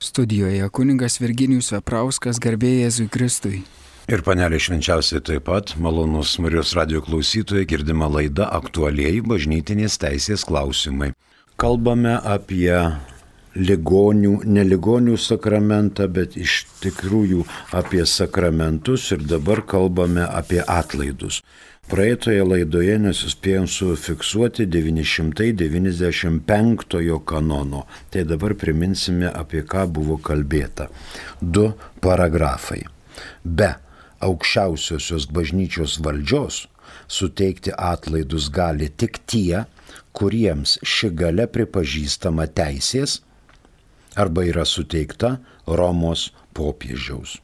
Studijoje kunigas Virginijus Veprauskas, garbė Jėzui Kristui. Ir panelė švenčiausiai taip pat, malonus Marijos radijo klausytojai, girdima laida aktualieji bažnytinės teisės klausimai. Kalbame apie ligonių, ne ligonių sakramentą, bet iš tikrųjų apie sakramentus ir dabar kalbame apie atlaidus. Praeitoje laidoje nesuspėjom sufiksuoti 995 kanono, tai dabar priminsime, apie ką buvo kalbėta. 2 paragrafai. Be aukščiausiosios bažnyčios valdžios suteikti atlaidus gali tik tie, kuriems ši galia pripažįstama teisės arba yra suteikta Romos popiežiaus.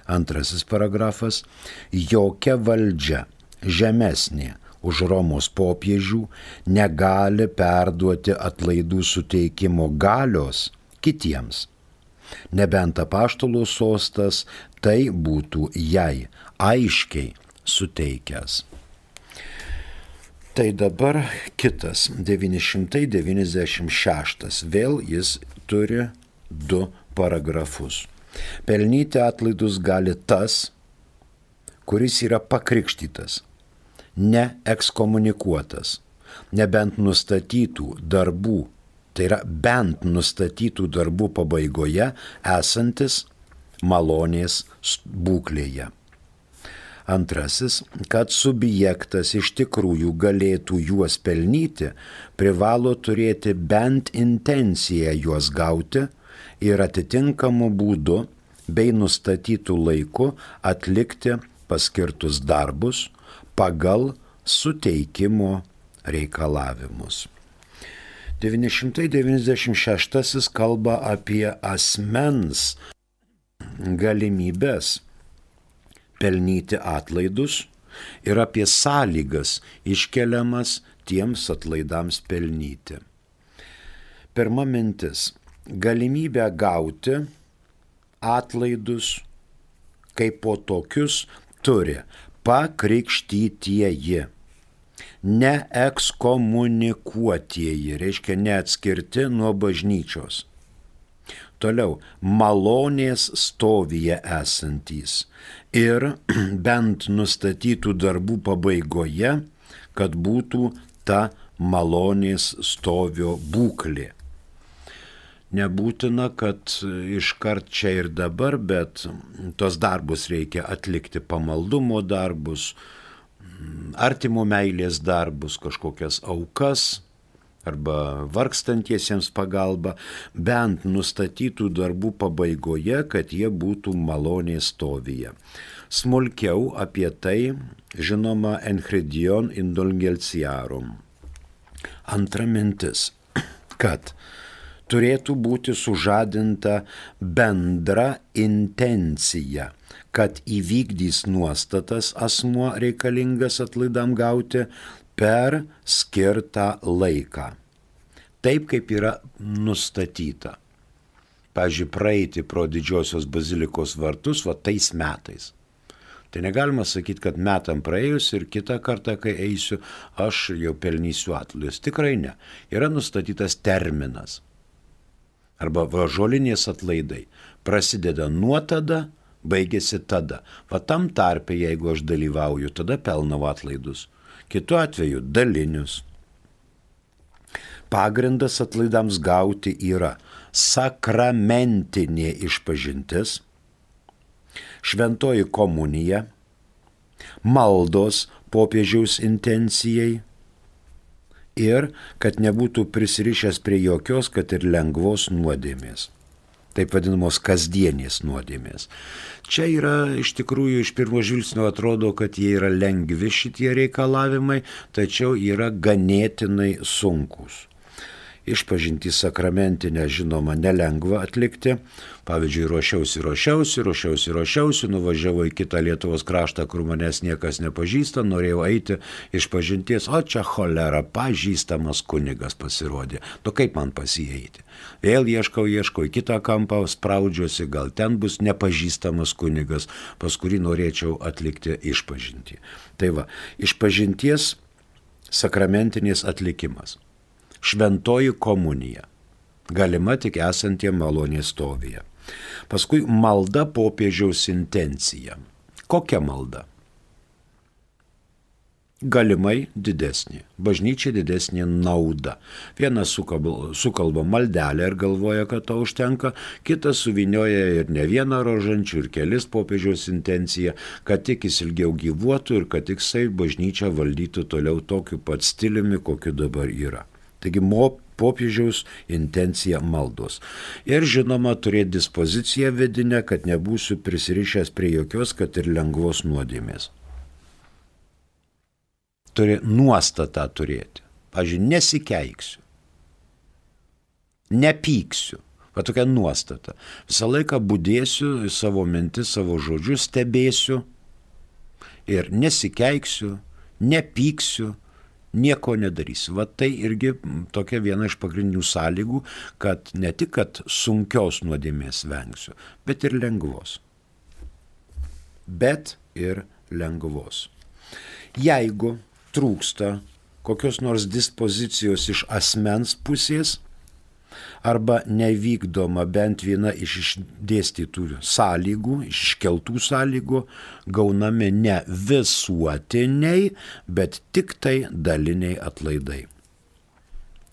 2 paragrafas. Jokia valdžia žemesnė už Romos popiežių negali perduoti atlaidų suteikimo galios kitiems, nebent apaštalų sostas tai būtų jai aiškiai suteikęs. Tai dabar kitas, 996, vėl jis turi 2 paragrafus. Pelnyti atlaidus gali tas, kuris yra pakrikštytas, neekskomunikuotas, nebent nustatytų darbų, tai yra bent nustatytų darbų pabaigoje esantis malonės būklėje. 2. Kad subjektas iš tikrųjų galėtų juos pelnyti, privalo turėti bent intenciją juos gauti ir atitinkamu būdu bei nustatytų laiku atlikti paskirtus darbus pagal suteikimo reikalavimus. 996 kalba apie asmens galimybės pelnyti atlaidus ir apie sąlygas iškeliamas tiems atlaidams pelnyti. Pirma mintis. Galimybę gauti atlaidus kaip po tokius turi pakrikštytieji, neekskomunikuotieji, reiškia neatskirti nuo bažnyčios. Toliau, malonės stovyje esantys ir bent nustatytų darbų pabaigoje, kad būtų ta malonės stovio būklė. Nebūtina, kad iškart čia ir dabar, bet tos darbus reikia atlikti, pamaldumo darbus, artimo meilės darbus, kažkokias aukas arba vargstantiesiems pagalba, bent nustatytų darbų pabaigoje, kad jie būtų malonės stovyje. Smulkiau apie tai žinoma Enchiridion Indulgentiarum. Antra mintis, kad turėtų būti sužadinta bendra intencija, kad įvykdys nuostatas asmuo reikalingas atlaidam gauti per skirtą laiką. Taip, kaip yra nustatyta. Pavyzdžiui, praeiti pro Didžiosios bazilikos vartus tais metais. Tai negalima sakyti, kad metam praėjus ir kitą kartą, kai eisiu, aš jau pelnysiu atlaidus. Tikrai ne. Yra nustatytas terminas. Arba žolinės atlaidai prasideda nuo tada, baigėsi tada. Tam tarpe, jeigu aš dalyvauju, tada pelnau atlaidus. Kitu atveju dalinius. Pagrindas atlaidams gauti yra sakramentinė išpažintis, šventoji komunija, maldos popiežiaus intencijai, ir kad nebūtų prisirišęs prie jokios, kad ir lengvos nuodėmės. Taip vadinamos kasdienės nuodėmės. Čia yra, iš tikrųjų, iš pirmo žvilgsnio atrodo, kad jie yra lengvi šitie reikalavimai, tačiau yra ganėtinai sunkus. Išpažintį sakramentinę, žinoma, nelengva atlikti. Pavyzdžiui, ruošiausi, nuvažiavau į kitą Lietuvos kraštą, kur manęs niekas nepažįsta, norėjau eiti išpažinties, o čia cholera, pažįstamas kunigas pasirodė. Kaip man pasieiti? Vėl ieškau į kitą kampą, spraudžiuosi, gal ten bus nepažįstamas kunigas, pas kurį norėčiau atlikti išpažintį. Tai va, išpažinties sakramentinės atlikimas. Šventoji komunija. galima tik esantiem malonės stovyje. Paskui malda popiežiaus intencija. Kokia malda? Galimai didesnė. Bažnyčia didesnė nauda. Vienas sukalba maldelę ir galvoja, kad to užtenka, kitas suvinioja ir ne vieną rožančių ir kelis popiežiaus intenciją, kad tik jis ilgiau gyvuotų ir kad tik jisai bažnyčią valdytų toliau tokiu pat stiliumi, kokiu dabar yra. Taigi popiežiaus intencija maldos. Ir žinoma, turėti dispoziciją vidinę, kad nebūsiu prisirišęs prie jokios, kad ir lengvos nuodėmės. Turi nuostatą turėti. Pavyzdžiui, nesikeiksiu, nepyksiu. Va tokia nuostata. Visą laiką budėsiu savo mintis, savo žodžius, stebėsiu ir nesikeiksiu, nepyksiu, nieko nedarysiu. Va tai irgi tokia viena iš pagrindinių sąlygų, kad ne tik kad sunkios nuodėmės vengsiu, bet ir lengvos. Jeigu trūksta kokios nors dispozicijos iš asmens pusės arba nevykdoma bent viena iš išdėstytų sąlygų, iškeltų sąlygų, gaunami ne visuotiniai, bet tik tai daliniai atlaidai.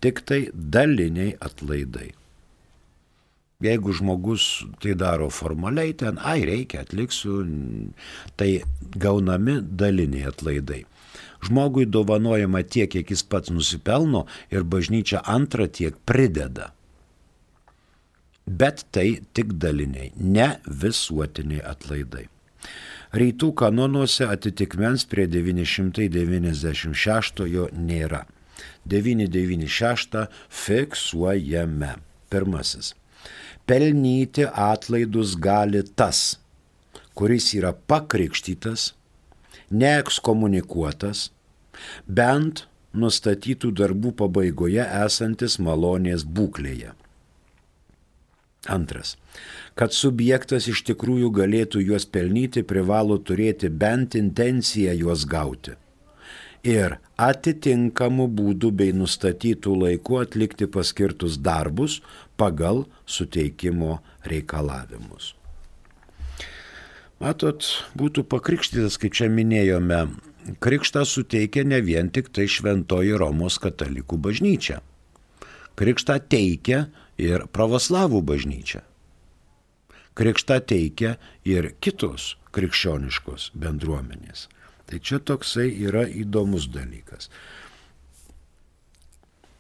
Tik tai daliniai atlaidai. Jeigu žmogus tai daro formaliai, ten, reikia, atliksiu, tai gaunami daliniai atlaidai. Žmogui dovanojama tiek, kiek jis pats nusipelno ir bažnyčia antrą tiek prideda. Bet tai tik daliniai, ne visuotiniai atlaidai. Rytų kanonuose atitikmens prie 996 nėra. 996 fiksuojame. Pirmasis. Pelnyti atlaidus gali tas, kuris yra pakrikštytas, neekskomunikuotas, bent nustatytų darbų pabaigoje esantis malonės būklėje. Antras. Kad subjektas iš tikrųjų galėtų juos pelnyti, privalo turėti bent intenciją juos gauti ir atitinkamų būdų bei nustatytų laikų atlikti paskirtus darbus pagal suteikimo reikalavimus. Matot, būtų pakrikštytas, kaip čia minėjome, krikštą suteikia ne vien tik tai Šventoji Romos katalikų bažnyčia. Krikštą teikia ir pravoslavų bažnyčia. Krikštą teikia ir kitos krikščioniškos bendruomenės. Tai čia toksai yra įdomus dalykas.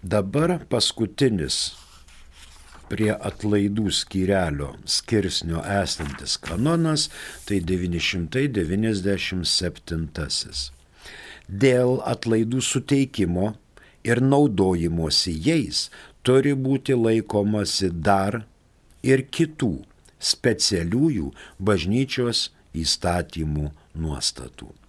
Dabar paskutinis prie atlaidų skyrelio skirsnio esantis kanonas, tai 997. Dėl atlaidų suteikimo ir naudojimosi jais turi būti laikomasi dar ir kitų specialiųjų bažnyčios įstatymų nuostatų.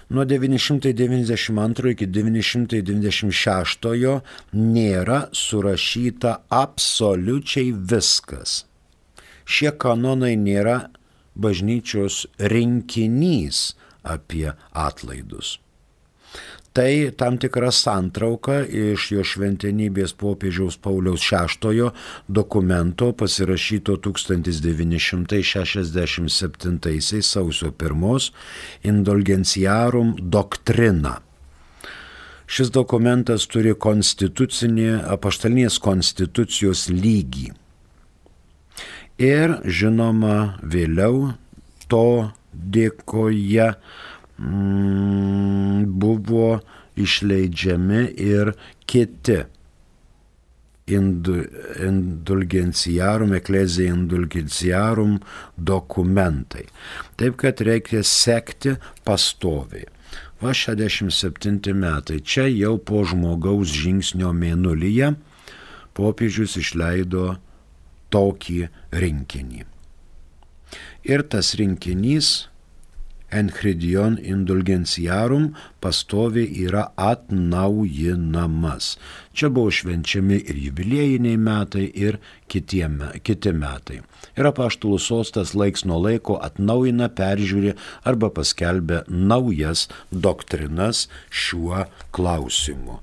Nuo 992 iki 996 nėra surašyta absoliučiai viskas. Šie kanonai nėra bažnyčios rinkinys apie atlaidus. Tai tam tikra santrauka iš jo šventenybės popiežiaus Pauliaus VI dokumento pasirašyto 1967 sausio 1 Indulgentiarum Doctrina. Šis dokumentas turi apaštalinės konstitucijos lygį. Ir žinoma, vėliau to dėkoje buvo išleidžiami ir kiti Ecclesiae Indulgentiarum dokumentai. Taip, kad reikia sekti pastoviai. Va 67 metai. Čia jau po žmogaus žingsnio mėnulyje popiežius išleido tokį rinkinį. Ir tas rinkinys Enchiridion Indulgentiarum pastoviai yra atnaujinamas. Čia buvo švenčiami ir jubiliejiniai metai, ir kiti metai. Ir apaštalų sostas laiks nuo laiko atnaujina, peržiūri arba paskelbia naujas doktrinas šiuo klausimu.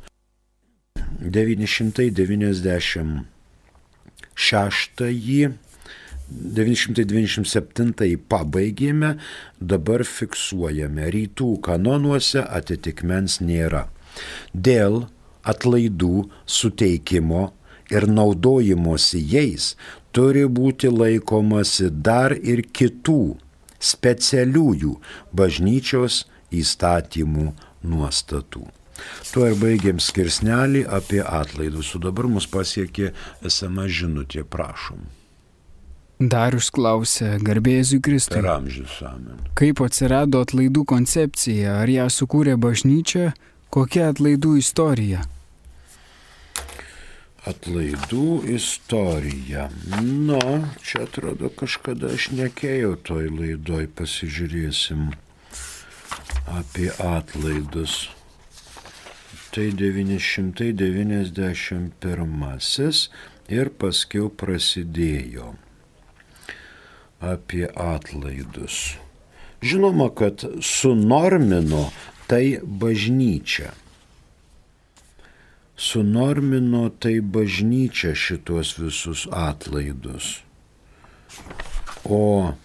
997 pabaigėme, dabar fiksuojame. Rytų kanonuose atitikmens nėra. Dėl atlaidų suteikimo ir naudojimosi jais turi būti laikomasi dar ir kitų specialiųjų bažnyčios įstatymų nuostatų. Tuo ir baigėm skirsnelį apie atlaidus. O dabar mus pasiekė SMS žinutė, prašom. Darius klausia, garbė Jėzui Kristui. Per amžius, amen. Kaip atsirado atlaidų koncepcija? Ar ją sukūrė bažnyčia? Kokia atlaidų istorija? Atlaidų istorija. Čia atrodo kažkada aš nekėjau toj laidoj, pasižiūrėsim apie atlaidus. Tai 991 ir paskiau prasidėjo apie atlaidus. Žinoma, kad sunormino tai bažnyčia. Sunormino tai bažnyčia šitos visus atlaidus. O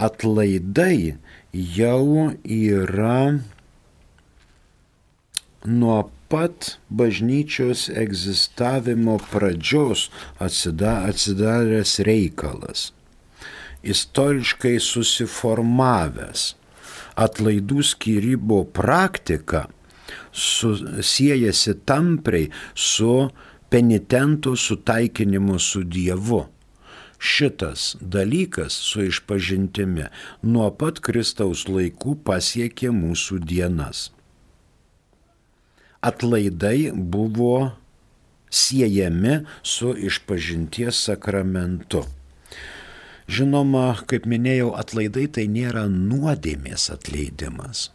atlaidai jau yra nuo pat bažnyčios egzistavimo pradžios atsidaręs reikalas. Istoriškai susiformavęs. Atlaidų skyrimo praktika siejasi tampriai su penitentų sutaikinimu su Dievu. Šitas dalykas su išpažintimi nuo pat Kristaus laikų pasiekė mūsų dienas. Atlaidai buvo siejami su išpažinties sakramentu. Žinoma, kaip minėjau, atlaidai tai nėra nuodėmės atleidimas.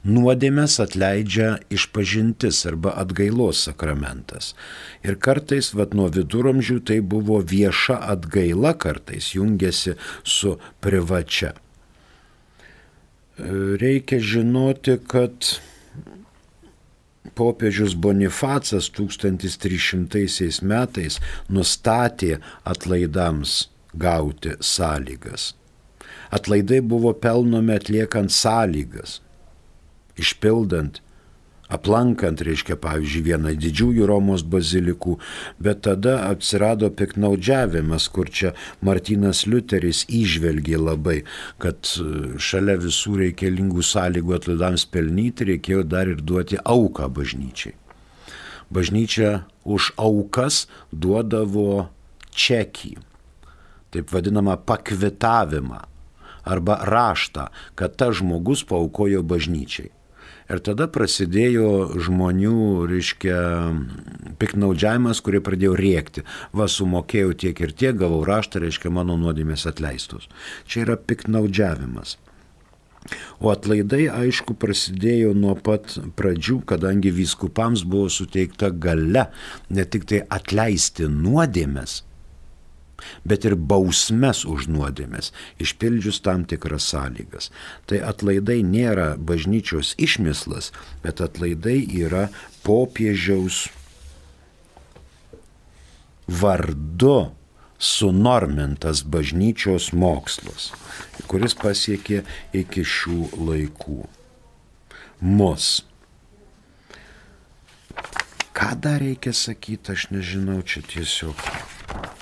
Nuodėmės atleidžia išpažintis arba atgailos sakramentas. Ir kartais, nuo viduramžių, tai buvo vieša atgaila, kartais jungiasi su privačia. Reikia žinoti, kad popiežius Bonifacas 1300 metais nustatė atlaidams gauti sąlygas. Atlaidai buvo pelnomi atliekant sąlygas. Išpildant, aplankant, pavyzdžiui, vieną didžiųjų Romos bazilikų, bet tada atsirado piknaudžiavimas, kur čia Martynas Liuteris įžvelgė labai, kad šalia visų reikalingų sąlygų atlaidams pelnyti reikėjo dar ir duoti auką bažnyčiai. Bažnyčia už aukas duodavo čekį, taip vadinamą pakvitavimą arba raštą, kad tas žmogus paaukojo bažnyčiai. Ir tada prasidėjo žmonių, piknaudžiavimas, kurie pradėjo rėkti. Sumokėjau tiek ir tiek, gavau raštą, mano nuodėmės atleistos. Čia yra piknaudžiavimas. O atlaidai, aišku, prasidėjo nuo pat pradžių, kadangi vyskupams buvo suteikta galia ne tik tai atleisti nuodėmės, bet ir bausmes už nuodėmės, išpildžius tam tikras sąlygas. Tai atlaidai nėra bažnyčios išmislas, bet atlaidai yra popiežiaus vardu sunormintas bažnyčios mokslas, kuris pasiekė iki šių laikų. Mus. Ką dar reikia sakyti, aš nežinau, čia tiesiog.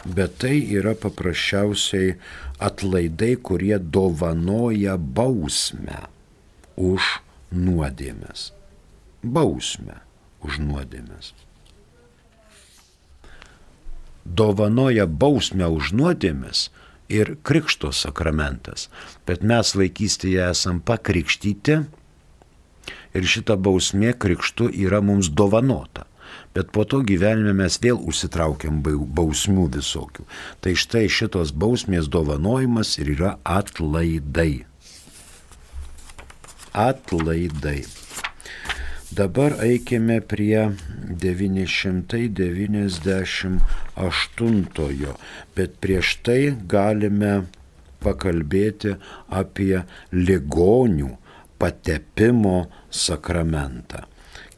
Bet tai yra paprasčiausiai atlaidai, kurie dovanoja bausmę už nuodėmes. Bausmę už nuodėmes. Dovanoja bausmę už nuodėmes ir krikšto sakramentas. Bet mes vaikystėje esam pakrikštyti ir šita bausmė krikštu yra mums dovanota. Bet po to gyvenime mes vėl užsitraukiam bausmių visokių. Tai štai šitos bausmės dovanojimas ir yra atlaidai. Atlaidai. Dabar eikime prie 998, bet prieš tai galime pakalbėti apie ligonių patepimo sakramentą.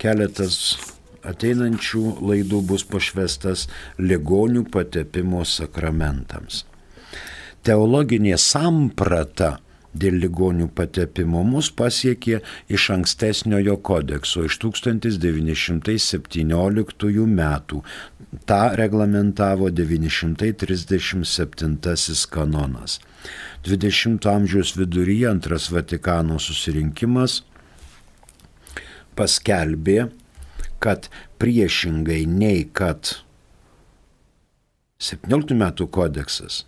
Keletas ateinančių laidų bus pašvestas ligonių patepimo sakramentams. Teologinė samprata dėl ligonių patepimo mus pasiekė iš ankstesniojo kodekso, iš 1917 metų. Ta reglamentavo 937 kanonas. 20 amžiaus viduryje Antras Vatikano susirinkimas paskelbė, kad priešingai nei kad 17 metų kodeksas,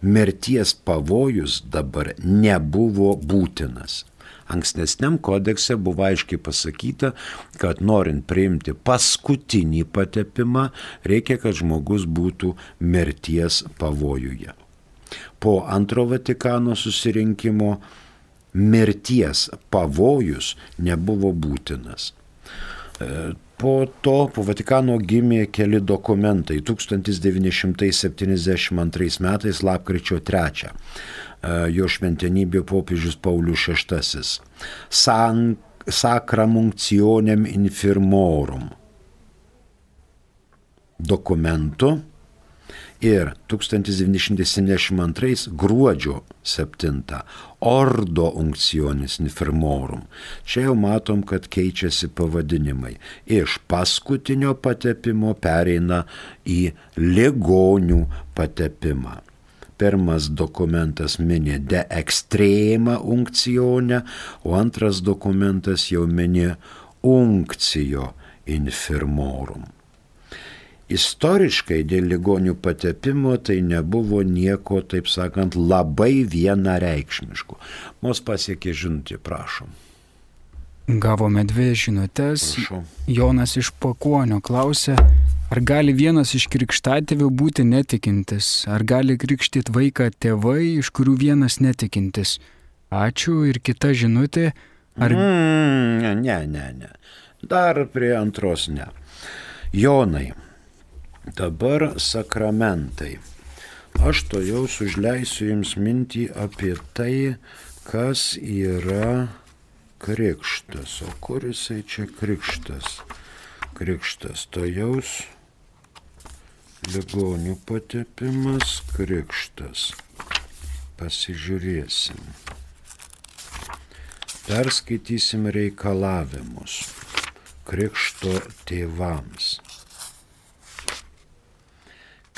mirties pavojus dabar nebuvo būtinas. Ankstesniam kodekse buvo aiškiai pasakyta, kad norint priimti paskutinį patepimą, reikia, kad žmogus būtų mirties pavojuje. Po Antro Vatikano susirinkimo mirties pavojus nebuvo būtinas. Po Vatikano gimė keli dokumentai. 1972 metais lapkričio 3 jo šventenybė popiežius Paulius VI Sacram Unctionem Infirmorum dokumentu ir 1972 gruodžio 7 Ordo Unctionis Infirmorum. Čia jau matom, kad keičiasi pavadinimai. Iš paskutinio patepimo pereina į ligonių patepimą. Pirmas dokumentas mini de extrema unctione, o antras dokumentas jau mini unctio infirmorum. Istoriškai dėl ligonių patepimo tai nebuvo nieko, taip sakant, labai vienareikšmiško. Mus pasiekė žinutė, prašom. Gavome 2 žinutes. Prašau. Jonas iš Pakuonio klausė, ar gali vienas iš krikštatėvių būti netikintis? Ar gali krikštyti vaiką tėvai, iš kurių vienas netikintis? Ačiū. Ir kita žinutė. Ar... Ne. Dar prie antros ne. Jonai. Dabar sakramentai. Aš to jau užleisiu jums mintį apie tai, kas yra krikštas. O kur jisai čia krikštas? Krikštas to jaus ligonių patepimas, krikštas. Pasižiūrėsim. Perskaitysim reikalavimus krikšto tėvams.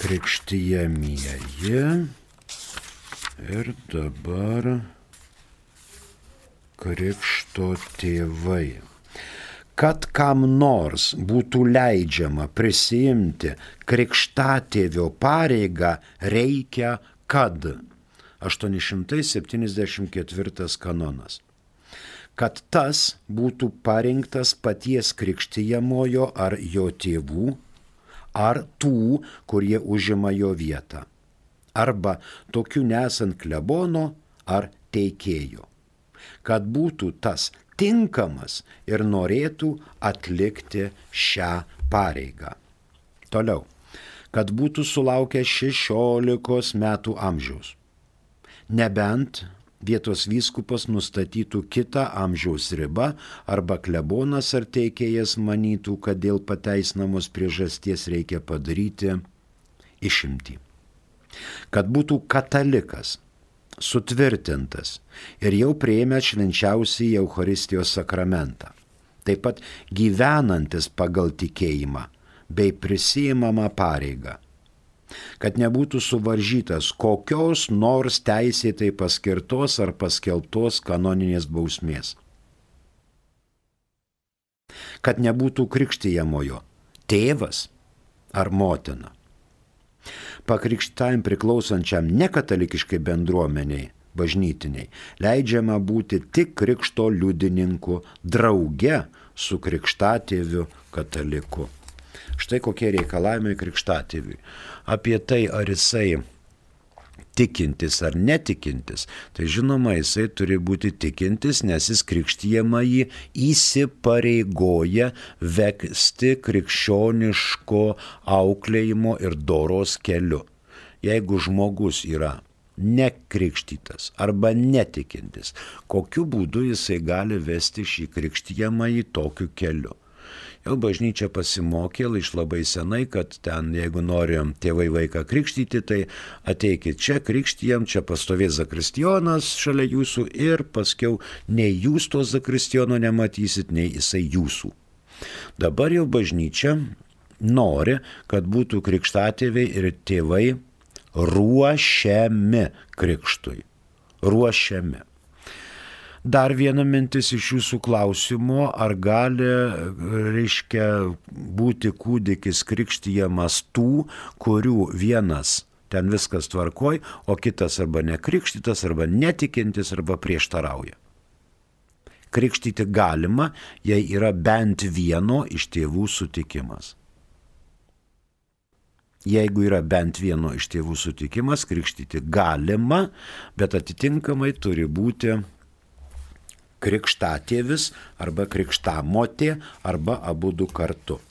Krikštijamieji ir dabar krikšto tėvai. Kad kam nors būtų leidžiama prisiimti krikštatėvio pareigą, reikia kad 874 kanonas. Kad tas būtų parinktas paties krikštijamojo ar jo tėvų, ar tų, kurie užima jo vietą, arba tokių nesant klebono ar teikėjo, kad būtų tas tinkamas ir norėtų atlikti šią pareigą. Toliau, kad būtų sulaukęs 16 metų amžiaus, nebent vietos vyskupas nustatytų kitą amžiaus ribą arba klebonas ar teikėjas manytų, kad dėl pateisinamos priežasties reikia padaryti išimtį. Kad būtų katalikas, sutvirtintas ir jau priėmęs švenčiausiąjį Eucharistijos sakramentą, taip pat gyvenantis pagal tikėjimą bei prisiimamą pareigą. Kad nebūtų suvaržytas kokios nors teisėtai paskirtos ar paskelbtos kanoninės bausmės. Kad nebūtų krikštijamojo tėvas ar motina. Pakrikštajam priklausančiam nekatalikiškai bendruomeniai, bažnytiniai, leidžiama būti tik krikšto liudininku drauge su krikštatėviu kataliku. Štai kokie reikalavimai krikštatėviui. Apie tai, ar jisai tikintis ar netikintis, tai žinoma, jisai turi būti tikintis, nes jis krikštijamąjį įsipareigoja vesti krikščioniško auklėjimo ir doros keliu. Jeigu žmogus yra nekrikštytas arba netikintis, kokiu būdu jisai gali vesti šį krikštijamąjį tokiu keliu? Jau bažnyčia pasimokė iš labai senai, kad ten, jeigu norim tėvai vaiką krikštyti, tai ateikit čia, krikštijam, čia pastovės zakristijonas šalia jūsų ir paskiau nei jūs to zakristijono nematysit, nei jisai jūsų. Dabar jau bažnyčia nori, kad būtų krikštatėviai ir tėvai ruošiami krikštui. Ruošiami. Dar viena mintis iš jūsų klausimo, ar gali, būti kūdikis krikštijamas tų, kurių vienas ten viskas tvarkoj, o kitas arba nekrikštytas, arba netikintis, arba prieštarauja. Krikštyti galima, jei yra bent vieno iš tėvų sutikimas. Jeigu yra bent vieno iš tėvų sutikimas, krikštyti galima, bet atitinkamai turi būti krikštatėvis arba krikštamotė arba abudu kartu.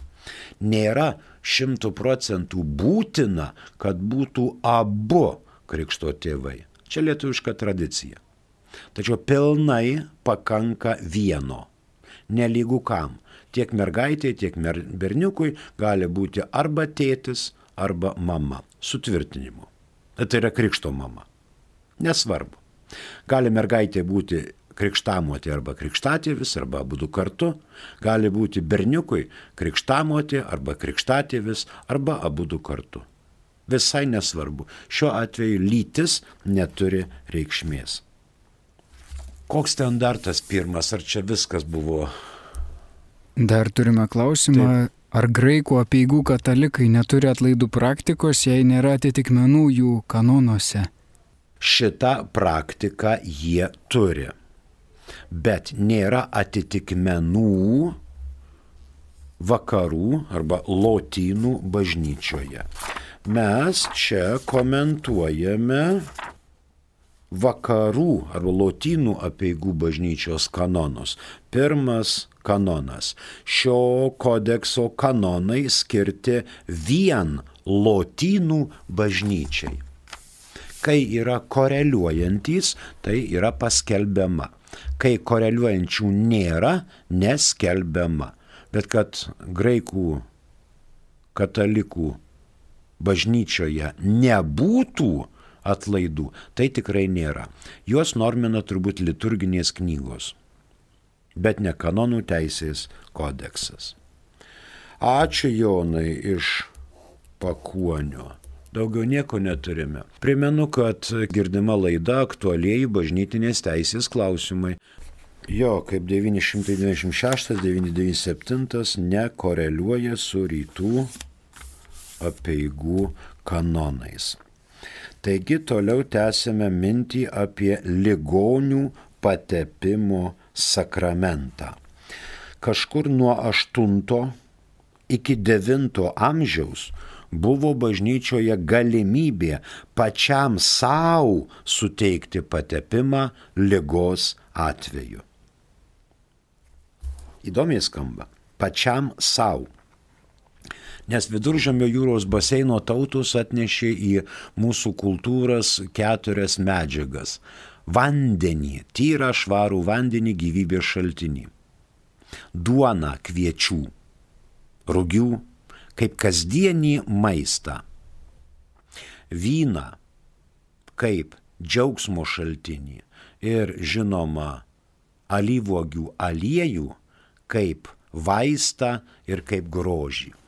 Nėra 100% būtina, kad būtų abu krikšto tėvai. Čia lietuviška tradicija. Tačiau pilnai pakanka vieno. Nelygu kam. Tiek mergaitė, tiek berniukui gali būti arba tėtis, arba mama. Sutvirtinimu. Tai yra krikšto mama. Nesvarbu. Gali mergaitė būti krikštamotė arba krikštatėvis, arba abudu kartu, gali būti berniukui krikštamotė arba krikštatėvis, arba abudu kartu. Visai nesvarbu. Šiuo atveju lytis neturi reikšmės. Koks standartas pirmas, ar čia viskas buvo? Dar turime klausimą, taip. Ar graikų apeigų katalikai neturi atlaidų praktikos, jei nėra atitikmenų jų kanonuose? Šitą praktiką jie turi. Bet nėra atitikmenų vakarų arba lotynų bažnyčioje. Mes čia komentuojame vakarų arba lotynų apeigų bažnyčios kanonus. Pirmas kanonas. Šio kodekso kanonai skirti vien lotynų bažnyčiai. Kai yra koreliuojantys, tai yra paskelbiama. Kai koreliuojančių nėra, neskelbiama. Bet kad graikų katalikų bažnyčioje nebūtų atlaidų, tai tikrai nėra. Juos normina turbūt liturginės knygos, bet ne kanonų teisės kodeksas. Ačiū Jonai iš Pakuonio. Daugiau nieko neturime. Primenu, kad girdima laida aktualieji bažnytinės teisės klausimai. Jo, kaip 996-997 nekoreliuoja su rytų apeigų kanonais. Taigi toliau tęsime mintį apie ligonių patepimo sakramentą. Kažkur nuo 8 iki 9 amžiaus buvo bažnyčioje galimybė pačiam savo suteikti patepimą ligos atveju. Įdomiai skamba. Pačiam savo. Nes Viduržemio jūros baseino tautos atnešė į mūsų kultūras 4 medžiagas. Vandenį, tyrą švarų vandenį, gyvybės šaltinį. Duoną, kviečių, rugių, kaip kasdienį maistą. Vyną, kaip džiaugsmo šaltinį. Ir žinoma, alyvuogių aliejų, kaip vaistą ir kaip grožį.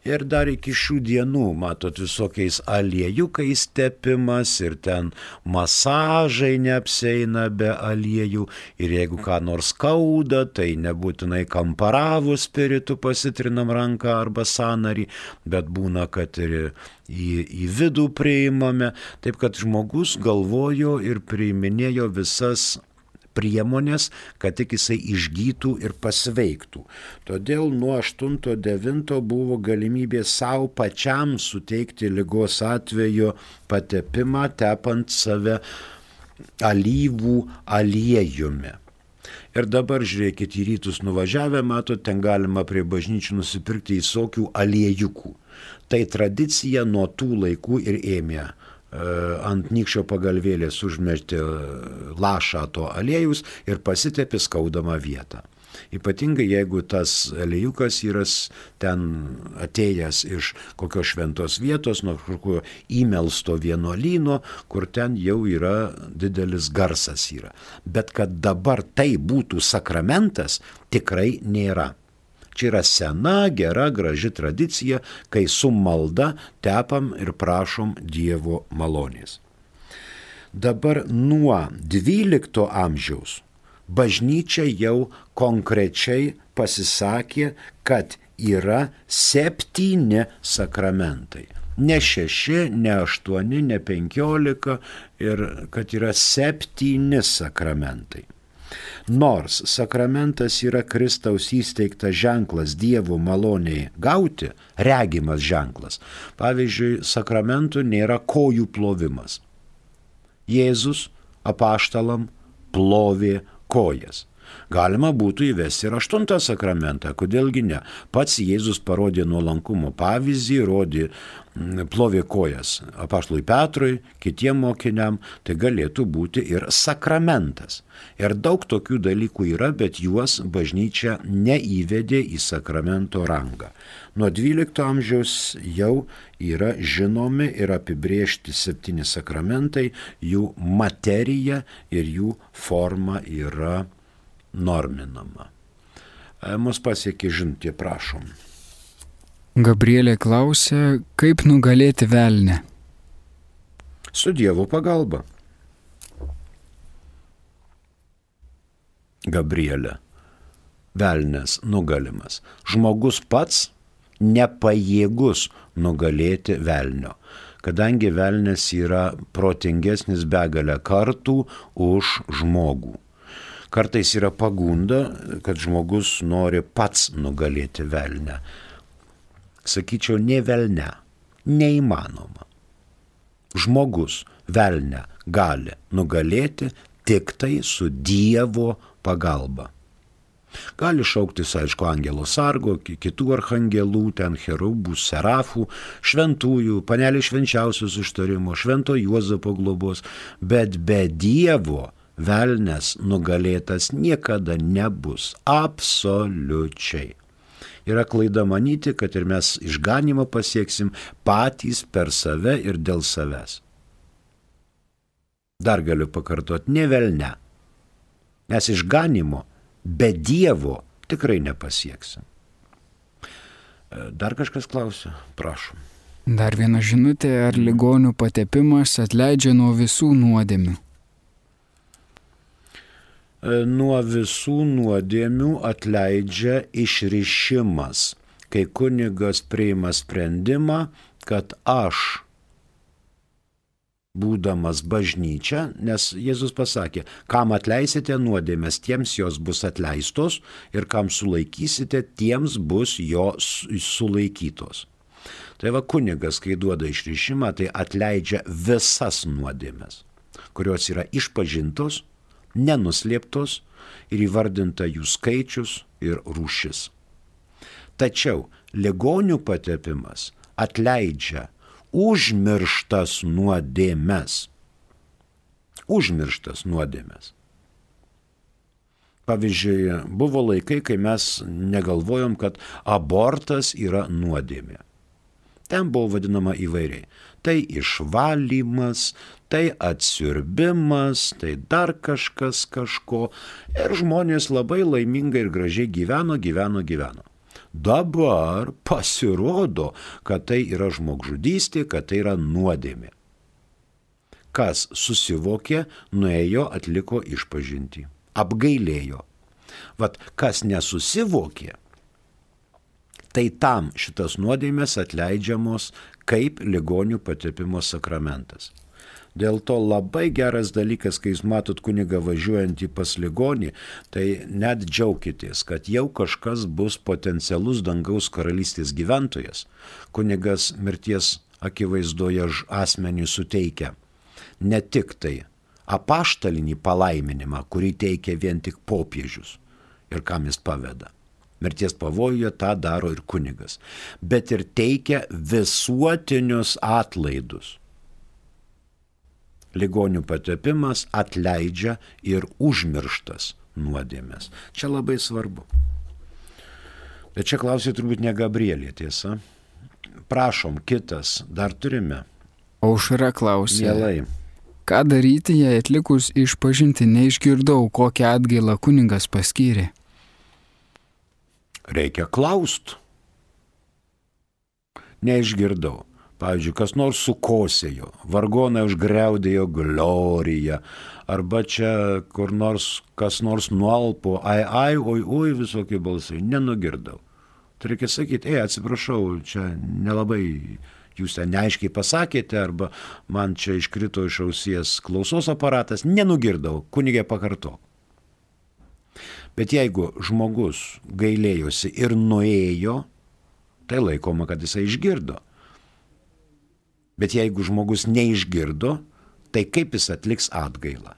Ir dar iki šių dienų, matot, visokiais aliejukais tepimas ir ten masažai neapseina be aliejų. Ir jeigu ką nors skauda, tai nebūtinai kamparavų spiritu pasitrinam ranką arba sąnarį, bet būna, kad ir į vidų priimame. Taip kad žmogus galvojo ir priiminėjo visas priemonės, kad tik jisai išgytų ir pasveiktų. Todėl nuo 8-9 buvo galimybė savo pačiam suteikti ligos atveju patepimą, tepant save alyvų aliejumi. Ir dabar žiūrėkit, į rytus nuvažiavę, matot, ten galima prie bažnyčių nusipirkti visokių aliejukų. Tai tradicija nuo tų laikų ir ėmė. Ant nykščio pagalvėlės užmesti lašą to aliejus ir pasitepi skaudamą vietą. Ypatingai jeigu tas aliejūkas yra ten atėjęs iš kokios šventos vietos, nuo kokio įmelsto vienuolyno, kur ten jau yra didelis garsas yra. Bet kad dabar tai būtų sakramentas, tikrai nėra. Čia yra sena, gera, graži tradicija, kai su malda tepam ir prašom Dievo malonės. Dabar nuo 12 amžiaus bažnyčia jau konkrečiai pasisakė, kad yra 7 sakramentai. Ne 6, ne 8, ne 15 ir kad yra 7 sakramentai. Nors sakramentas yra Kristaus įsteigtas ženklas Dievo maloniai gauti, regimas ženklas. Pavyzdžiui, sakramentų nėra kojų plovimas. Jėzus apaštalam plovė kojas. Galima būtų įvesti ir 8 sakramentą, kodėlgi ne. Pats Jėzus parodė nuolankumo pavyzdį, plovė kojas apaštalui Petrui, kitiem mokiniam, tai galėtų būti ir sakramentas. Ir daug tokių dalykų yra, bet juos bažnyčia neįvedė į sakramento rangą. Nuo 12 amžiaus jau yra žinomi ir apibrėžti 7 sakramentai, jų materija ir jų forma yra norminama. Mus pasiekė žinutė, prašom. Gabrielė klausia, kaip nugalėti velnę? Su Dievo pagalba. Gabrielė, velnės nugalimas. Žmogus pats nepajėgus nugalėti velnio, kadangi velnės yra protingesnis begalę kartų už žmogų. Kartais yra pagunda, kad žmogus nori pats nugalėti velnę. Sakyčiau, ne velnę, neįmanoma. Žmogus velnę gali nugalėti tik tai su Dievo pagalba. Gali šauktis, aišku, angelo sargo, kitų archangelų, ten cherubų, serafų, šventųjų, panelį švenčiausios užtarimo, švento Juozapo globos, bet be Dievo velnės nugalėtas niekada nebus. Absoliučiai. Yra klaida manyti, kad ir mes išganymą pasieksim patys per save ir dėl savęs. Dar galiu pakartoti, ne velne. Mes išganymo be Dievo tikrai nepasieksim. Dar kažkas klausia? Prašom. Dar viena žinutė, ar ligonių patepimas atleidžia nuo visų nuodėmių? Nuo visų nuodėmių atleidžia išrišimas, kai kunigas priima sprendimą, kad aš, būdamas bažnyčia, nes Jėzus pasakė, kam atleisite nuodėmes, tiems jos bus atleistos ir kam sulaikysite, tiems bus jos sulaikytos. Tai va kunigas, kai duoda išrišimą, tai atleidžia visas nuodėmes, kurios yra išpažintos, nenuslėptos ir įvardinta jų skaičius ir rūšis. Tačiau ligonių patepimas atleidžia užmirštas nuodėmes. Užmirštas nuodėmes. Pavyzdžiui, buvo laikai, kai mes negalvojom, kad abortas yra nuodėmė. Ten buvo vadinama įvairiai. Tai išvalymas, tai atsiurbimas, tai dar kažkas kažko. Ir žmonės labai laimingai ir gražiai gyveno. Dabar pasirodo, kad tai yra žmogžudystė, kad tai yra nuodėmė. Kas susivokė, nuėjo, atliko išpažintį. Apgailėjo. Vat kas nesusivokė, tai tam šitas nuodėmės atleidžiamos kaip ligonių patepimo sakramentas. Dėl to labai geras dalykas, kai jūs matot kunigą važiuojantį pas ligonį, tai net džiaukitės, kad jau kažkas bus potencialus dangaus karalystės gyventojas. Kunigas mirties akivaizdoje asmeniui suteikia ne tik tai apaštalinį palaiminimą, kurį teikia vien tik popiežius ir kam jis paveda. Mirties pavojuje tą daro ir kunigas, bet ir teikia visuotinius atlaidus. Ligonių patepimas atleidžia ir užmirštas nuodėmės. Čia labai svarbu. Bet čia klausė turbūt ne Gabrielė, tiesa. Prašom, kitas, dar turime. Aušra klausė. Mielai. Ką daryti, jei atlikus išpažinti neišgirdau, kokią atgailą kunigas paskyrė? Reikia klaust. Neišgirdau. Pavyzdžiui, kas nors sukosėjo, vargonai užgriaudėjo gloriją, arba čia kur nors, kas nors nualpo, ai, oi, visokie balsai, nenugirdau. Tai reikia sakyti, atsiprašau, čia nelabai jūs ten neaiškiai pasakėte, arba man čia iškrito iš ausies klausos aparatas, nenugirdau, kunigė pakartok. Bet jeigu žmogus gailėjosi ir nuėjo, tai laikoma, kad jisai išgirdo. Bet jeigu žmogus neišgirdo, tai kaip jis atliks atgailą?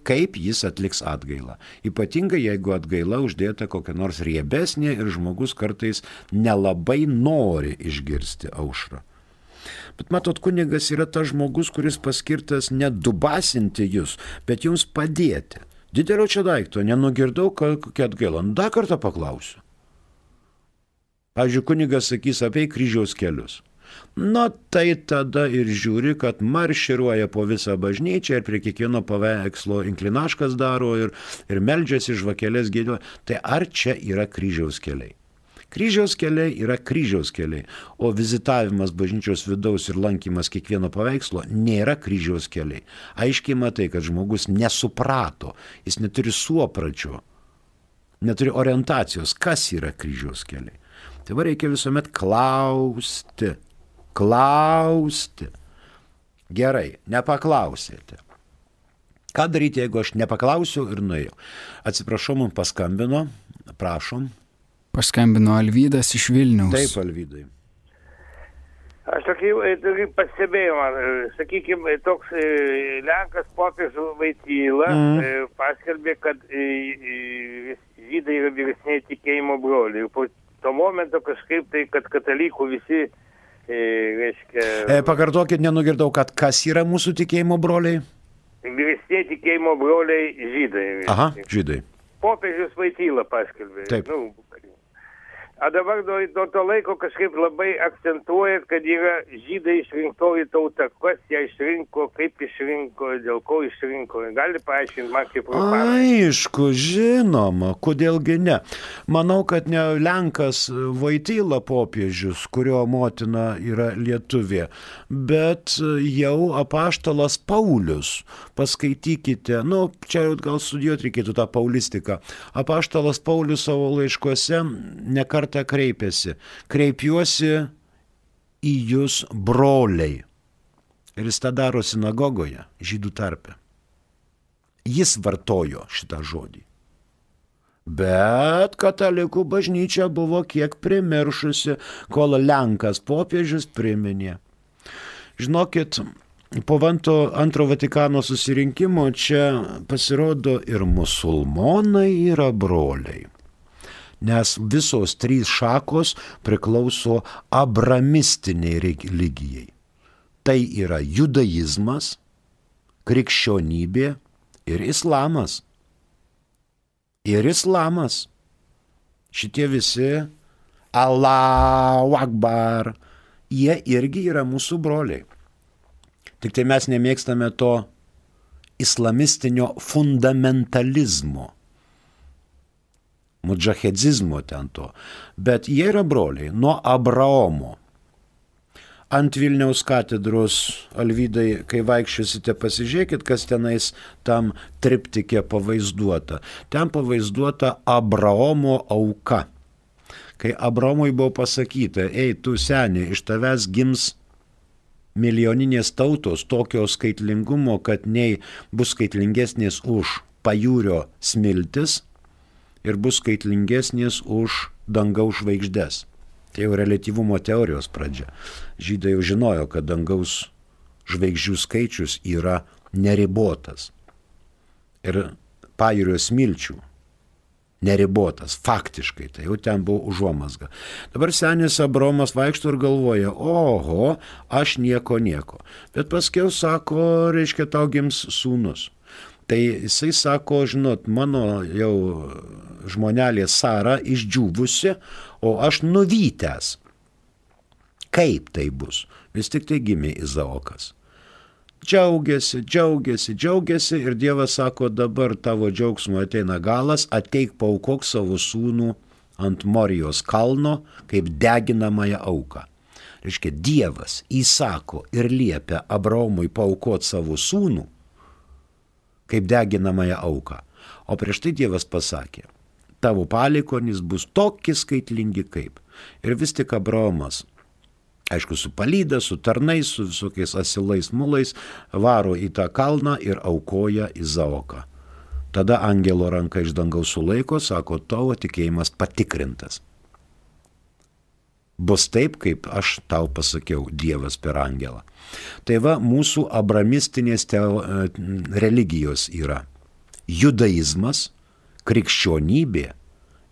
Kaip jis atliks atgailą? Ypatingai, jeigu atgaila uždėta kokia nors riebesnė ir žmogus kartais nelabai nori išgirsti aušrą. Bet matot, kunigas yra tas žmogus, kuris paskirtas ne dubasinti jūs, bet jums padėti. Didelio čia daikto, nenugirdau, kokia atgaila. Dar kartą paklausiu. Pavyzdžiui, kunigas sakys apie kryžiaus kelius. Na, tai tada ir žiūri, kad marširuoja po visą bažnyčią ir prie kiekvieno paveikslo inklinaškas daro ir meldžiasi žvakelės gėdėjo. Tai ar čia yra kryžiaus keliai? Kryžiaus keliai yra kryžiaus keliai, o vizitavimas bažnyčios vidaus ir lankymas kiekvieno paveikslo nėra kryžiaus keliai. Aiškiai matai, kad žmogus nesuprato, jis neturi suopračio, neturi orientacijos, kas yra kryžiaus keliai. Tai va reikia visuomet klausti. Gerai, nepaklausėte. Ką daryti, jeigu aš nepaklausiau ir nuėjau? Atsiprašau, man paskambino, prašom. Paskambino Alvydas iš Vilniaus. Taip, Alvydai. Aš tokį pastebėjimą, sakykime, toks Lenkas popiežius Voityla paskelbė, kad žydai yra vyresniai tikėjimo broliai. Ir po to momento kažkaip tai, kad katalikų visi, reiškia... Pakartokit, nenugirdau, kad kas yra mūsų tikėjimo broliai? Vyresniai tikėjimo broliai žydai. Aha, žydai. Popiežius Voityla paskelbė. Taip. O dabar nuo to laiko kažkaip labai akcentuoja, kad yra žydai išrinktoji tauta. Kas ją išrinko, kaip išrinko, dėl ko išrinko. Gali paaiškinti man kaip rupanas? Aišku, žinoma, kodėlgi ne. Manau, kad ne Lenkas Voityla popiežius, kurio motina yra lietuvė, bet jau apaštalas Paulius. Paskaitykite, čia gal studijuoti reikėtų tą paulistiką. Apaštalas Paulius savo laiškuose nekartą kreipiasi. Kreipiuosi į jūs, broliai. Ir jis tą daro sinagogoje, žydų tarpe. Jis vartojo šitą žodį. Bet katalikų bažnyčia buvo kiek primiršusi, kol Lenkas popiežius priminė. Žinokit, po antro Vatikano susirinkimo čia pasirodo ir musulmonai yra broliai. Nes visos trys šakos priklauso abramistiniai religijai. Tai yra judaizmas, krikščionybė ir islamas. Šitie visi Allahu Akbar, jie irgi yra mūsų broliai. Tik tai mes nemėgstame to islamistinio fundamentalizmo. Mudžahedzizmo ten to, bet jie yra broliai nuo Abraomo. Ant Vilniaus katedros, Alvydai, kai vaikščiosite, pasižiūrėkit, kas tenais tam triptike pavaizduota. Ten pavaizduota Abraomo auka. Kai Abraomui buvo pasakyta, tu seni, iš tavęs gims milijoninės tautos tokio skaitlingumo, kad nei bus skaitlingesnės už pajūrio smiltis, ir bus skaitlingesnės už dangaus žvaigždes. Tai jau reliatyvumo teorijos pradžia. Žydai jau žinojo, kad dangaus žvaigždžių skaičius yra neribotas. Ir pajūrio smilčių neribotas, faktiškai. Tai jau ten buvo užuomazga. Dabar senis Abraomas vaikšto ir galvoja, oho, aš nieko. Bet paskiau sako, reiškia, tau gims sūnus. Tai jisai sako, žinot, mano jau žmonelė Sara išdžiūvusi, o aš nuvytęs. Kaip tai bus? Vis tik tai gimė Izaokas. Džiaugiasi ir Dievas sako, dabar tavo džiaugsmo ateina galas, ateik paaukok savo sūnų ant Morijos kalno kaip deginamąją auką. Reiškia, Dievas įsako ir liepia Abraomui paaukoti savo sūnų kaip deginamąją auką. O prieš tai Dievas pasakė, tavo palikuonys bus tokie skaitlingi kaip. Ir vis tik Abraomas, aišku, su palyda, su tarnais, su visokiais asilais mulais, varo į tą kalną ir aukoja Izaoką. Tada angelo ranka iš dangaus sulaiko, sako, tavo tikėjimas patikrintas. Bus taip, kaip aš tau pasakiau, Dievas per angelą. Tai va, mūsų abramistinės religijos yra judaizmas, krikščionybė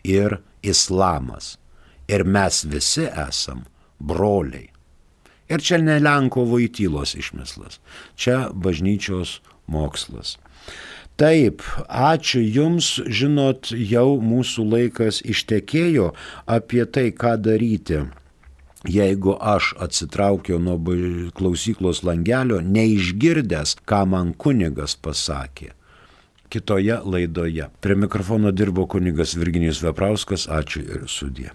ir islamas. Ir mes visi esam broliai. Ir čia ne Lenko Voitylos išmislas, čia bažnyčios mokslas. Taip, ačiū Jums, žinot, jau mūsų laikas ištekėjo apie tai, ką daryti, jeigu aš atsitraukiau nuo klausyklos langelio, neišgirdęs, ką man kunigas pasakė. Kitoje laidoje. Prie mikrofono dirbo kunigas Virginijus Veprauskas, ačiū ir sudie.